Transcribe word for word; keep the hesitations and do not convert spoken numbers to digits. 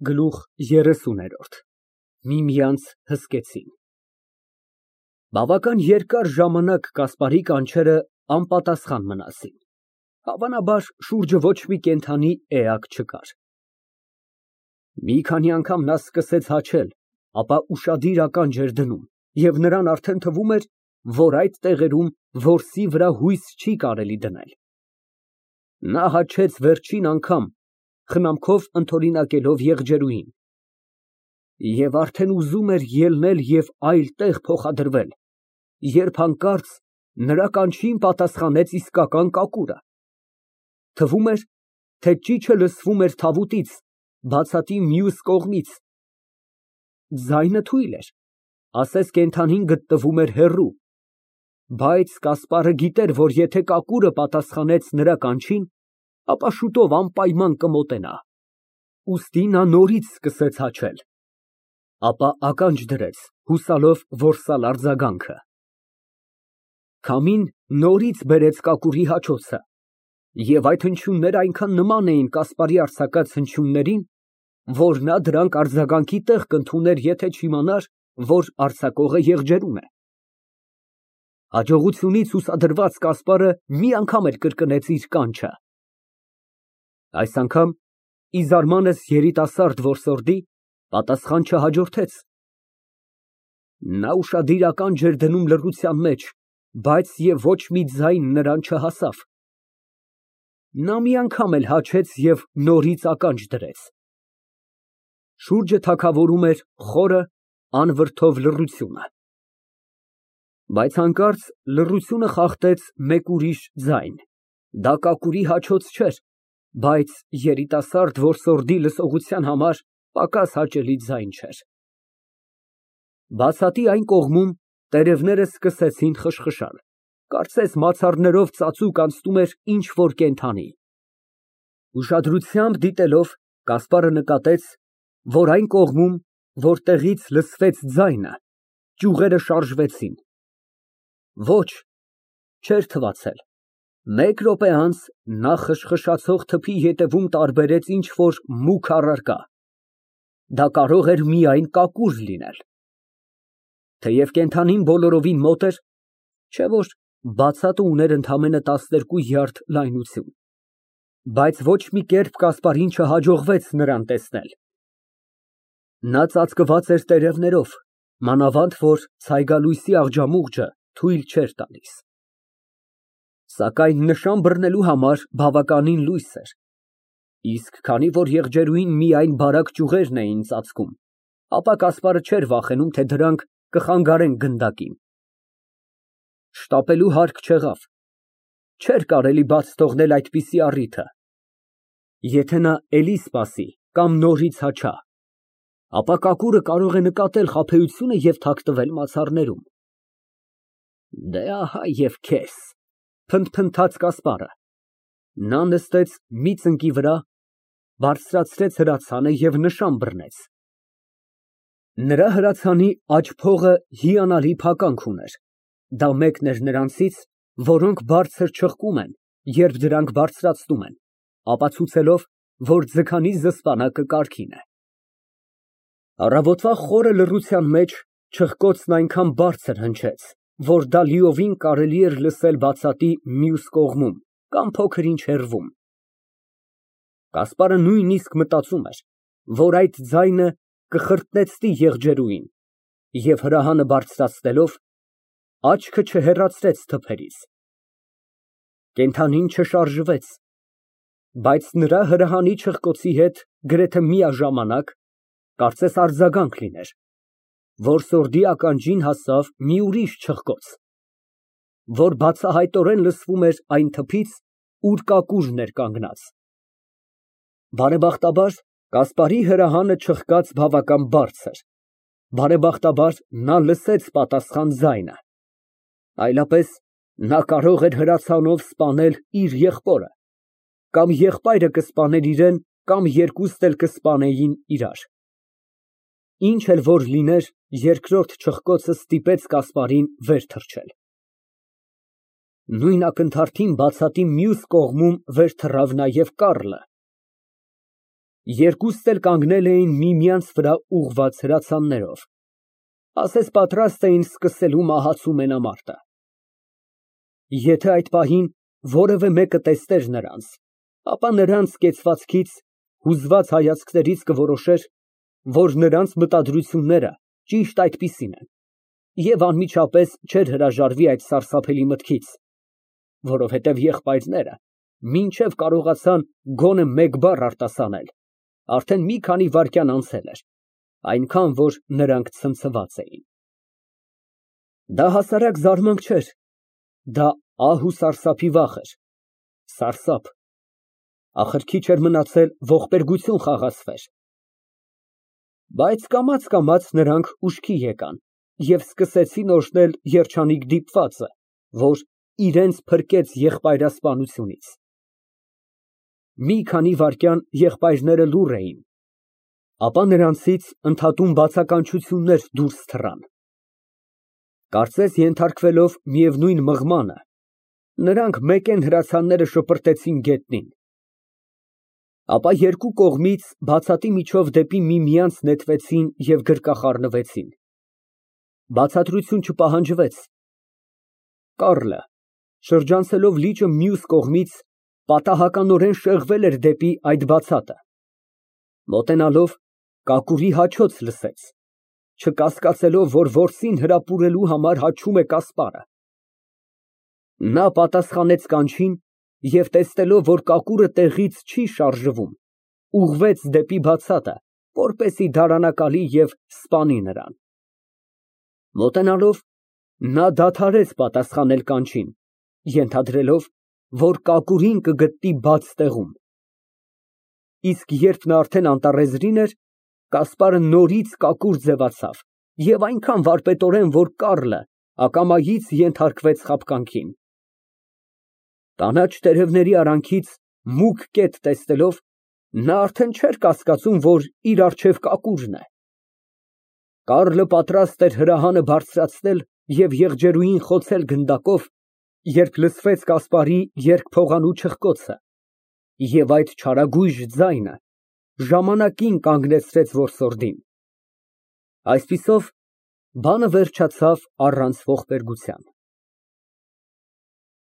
Գլուխ երեսունորդ Միմյանց հսկեցին։ Բավական երկար ժամանակ Կասպարի կանչերը անպատասխան մնացին, հավանաբար շուրջը ոչ մի կենդանի էակ չկար։ Մի քանի անգամ նա սկսեց հաչել, ապա ուշադիր ականջ էր դնում, և նրան արդեն թվում էր, որ այդ տեղերում որսի վրա հույս չի կարելի դնել։ Նա հաչեց վերջին անգամ, խնամքով ընդօրինակելով եղջերուին, և արդեն ուզում էր ելնել և այլ տեղ փոխադրվել, երբ հանկարծ նրա կանչին պատասխանեց իսկական կակուռը։ Թվում էր, թե ճիչը լսվում էր թավուտից, բացատի մյուս կողմից։ Ձայնը թույլ էր, ասես կենդանին գտնվում էր հեռու, բայց Կասպարը գիտեր, որ եթե կակուռը պատասխանեց նրա կանչին, ապա շուտով անպայման կմոտենա, ուստի նա նորից սկսեց հաչել, ապա ականջ դրեց, հուսալով որսալ արձագանքը։ Քամին նորից բերեց կակուռի հաչոցը, և այդ հնչյուններն այնքան նման էին Կասպարի արձակած հնչյուններին, որ նա դրանք արձագանքի տեղ կընդուներ, եթե չիմանար, որ արձակողը եղջերուն է։ Հաջողությունից հուսադրված Կասպարը մի անգամ էլ կրկնեց իր կանչը։ Այս անգամ, ի զարմանս երիտասարդ որսորդի, պատասխան չհաջորդեց։ Նա ուշադիր ականջ էր դնում լռության մեջ, բայց և ոչ մի ձայն նրան չհասավ։ Նա մի անգամ էլ հաչեց և նորից ականջ դրեց։ Շուրջը թագավորում էր խորը, անվրդով լռությունը։ Բայց հանկարծ լռությունը խախտեց մեկ ուրիշ ձայն, դա կակուռի հաչոց չէր, բայց երիտասարդ որսորդի լսողության համար պակաս հաճելի ձայն չէր։ Բացատի այն կողմում տերևները սկսեցին խշխշալ, կարծես մացառներով ծածուկ անցնում էր ինչ֊որ կենդանի։ Ուշադրությամբ դիտելով, Կասպարը նկատեց, որ այն կողմում, որտեղից լսվեց ձայնը, ճյուղերը շարժվեցին։ Ոչ, չէր թվացել։ Մեկ րոպե անց նա խշխշացող թփի ետևում տարբերեց ինչ֊որ մուգ առարկա։ Դա կարող էր միայն կակուռ լինել։ Թեև կենդանին բոլորովին մոտ էր, չէ՞ որ բացատը ուներ ընդամենը տասներկու յարդ լայնություն, բայց ոչ մի կերպ Կասպարին չհաջողվեց նրան տեսնել։ Նա ծածկված էր տերևներով, մանավանդ որ ցայգալույսի աղջամուղջը թույլ չէր տալիս։ Սակայն նշան բռնելու համար բավականին լույս էր, իսկ քանի որ եղջերուին միայն բարակ ճյուղերն էին ծածկում, ապա Կասպարը չէր վախենում, թե դրանք կխանգարեն գնդակին։ Շտապելու հարկ չեղավ, չէր կարելի բաց թողնել այդպիսի առիթը։ Եթե նա էլի սպասի կամ նորից հաչա, ապա կակուռը կարող է նկատել խաբեությունը և թաքնվել մացառներում։ Դե, ահա և քեզ, փնթփնթաց Կասպարը։ Նա նստեց մի ծնկի վրա, բարձրացրեց հրացանը և նշան բռնեց։ Նրա հրացանի աջ փողը հիանալի փականք ուներ, դա մեկն էր նրանցից, որոնք բարձր չղկում են, երբ դրանք բարձրացնում են, ապացուցելով, որ ձգանի զսպանակը կարգին է։ Առավոտվա խորը լռության մեջ չղկոցն այնքան բարձր հնչեց, որ դա լիովին կարելի էր լսել բացատի մյուս կողմում կամ փոքր-ինչ հեռվում։ Կասպարը նույնիսկ մտածում էր, որ այդ ձայնը կխրտնեցնի եղջերուին, և հրահանը բարձրացնելով, աչքը չհեռացրեց թփերից։ Կենդանին չշարժվեց, բայց նրա հրահանի չղկոցի հետ գրեթե միաժամանակ, կարծես արձագանք լիներ, որսորդի ականջին հասավ մի ուրիշ չղկոց, որ բացահայտորեն լսվում էր այն թփից, ուր կակուռն էր կանգնած։ Բարեբախտաբար, Կասպարի հրահանը չղկաց բավական բարձր, բարեբախտաբար, նա լսեց պատասխան ձայնը, այլապես նա կարող էր հրացանով սպանել իր եղբորը, կամ եղբայրը կսպաներ իրան, կամ երկուսն էլ կսպանեին իրար։ Ինչ էլ որ լիներ, երկրորդ չղկոցը ստիպեց Կասպարին վեր թռչել։ Նույն ակնթարթին բացատի մյուս կողմում վեր թռավ նաև Կառլը։ Երկուստ էլ կանգնել էին միմյանց վրա ուղղված հրացաններով, ասես պատրաստ էին սկսելու մահացու մենամարտը։ Եթե այդ պահին որևէ մեկը տեսներ նրանց, ապա նրանց կեցվածքից, հուզված հայացքներից կորոշեր, որ նրանց մտադրությունները ճիշտ այդպիսին են, և անմիջապես չէր հրաժարվի այդ սարսափելի մտքից, որովհետև եղբայրները մինչև կարողացան գոնե մեկ բառ արտասանել, արդեն մի քանի վայրկյան անցել էր, այնքան, որ նրանք ցնցված էին։ Դա հասարակ զարմանք չէր, դա ահ ու սարսափի վախ էր, սարսափ, ախր քիչ էր մնացել ողբերգություն խաղացվեր։ Բայց կամաց֊կամաց նրանք ուշքի եկան և սկսեցին օրհնել երջանիկ դիպվածը, որ իրենց փրկեց եղբայրասպանությունից։ Մի քանի վայրկյան եղբայրները լուռ էին, ապա նրանցից ընդհատում բացականչություններ դուրս թռան։ Կարծես ենթարկվելով միևնույն մղմանը, նրանք մեկեն հրացանները շպրտեցին գետնին։ Ապա երկու կողմից բացատի միջով դեպի միմյանց նետվեցին և գրկախառնվեցին։ Բացատրություն չպահանջվեց։ Կառլը, շրջանցելով լիճը մյուս կողմից, պատահականորեն շեղվել էր դեպի այդ բացատը։ Մոտենալով, կակուրի հաչոց լսեց, չկասկածելով, որ որսին հրապուրելու համար հաչում է կասպարը։ Նա պատասխանեց կանչին և տեսնելով, որ կակուրը տեղից չի շարժվում, ուղղվեց դեպի բացատը, որպեսզի դարանակալի և սպանի նրան։ Մոտենալով, նա դադարեց պատասխանել կանչին, ենթադրելով, որ կակուրին կգտնի բաց տեղում։ Իսկ երբ նա արդեն անտառեզրին էր, կասպարը նորից կակուր ձևացավ և այնքան վարպետորեն, որ Կառլը ակամայից ենթարկվեց խաբկանքին։ Կանաչ տերևների արանքից մուգ կետ տեսնելով, նա արդեն չէր կասկածում, որ իր առջև կակուրն է։ Կառլը պատրաստ էր հրահանը բարձրացնել և եղջերուին խոցել գնդակով, երբ լսվեց կասպարի երկփողանու չխկոցը, և այդ չարագույժ ձայնը ժամանակին կանգնեցրեց որսորդին։ Այսպիսով, բանը վերջացավ առանց ողբերգության։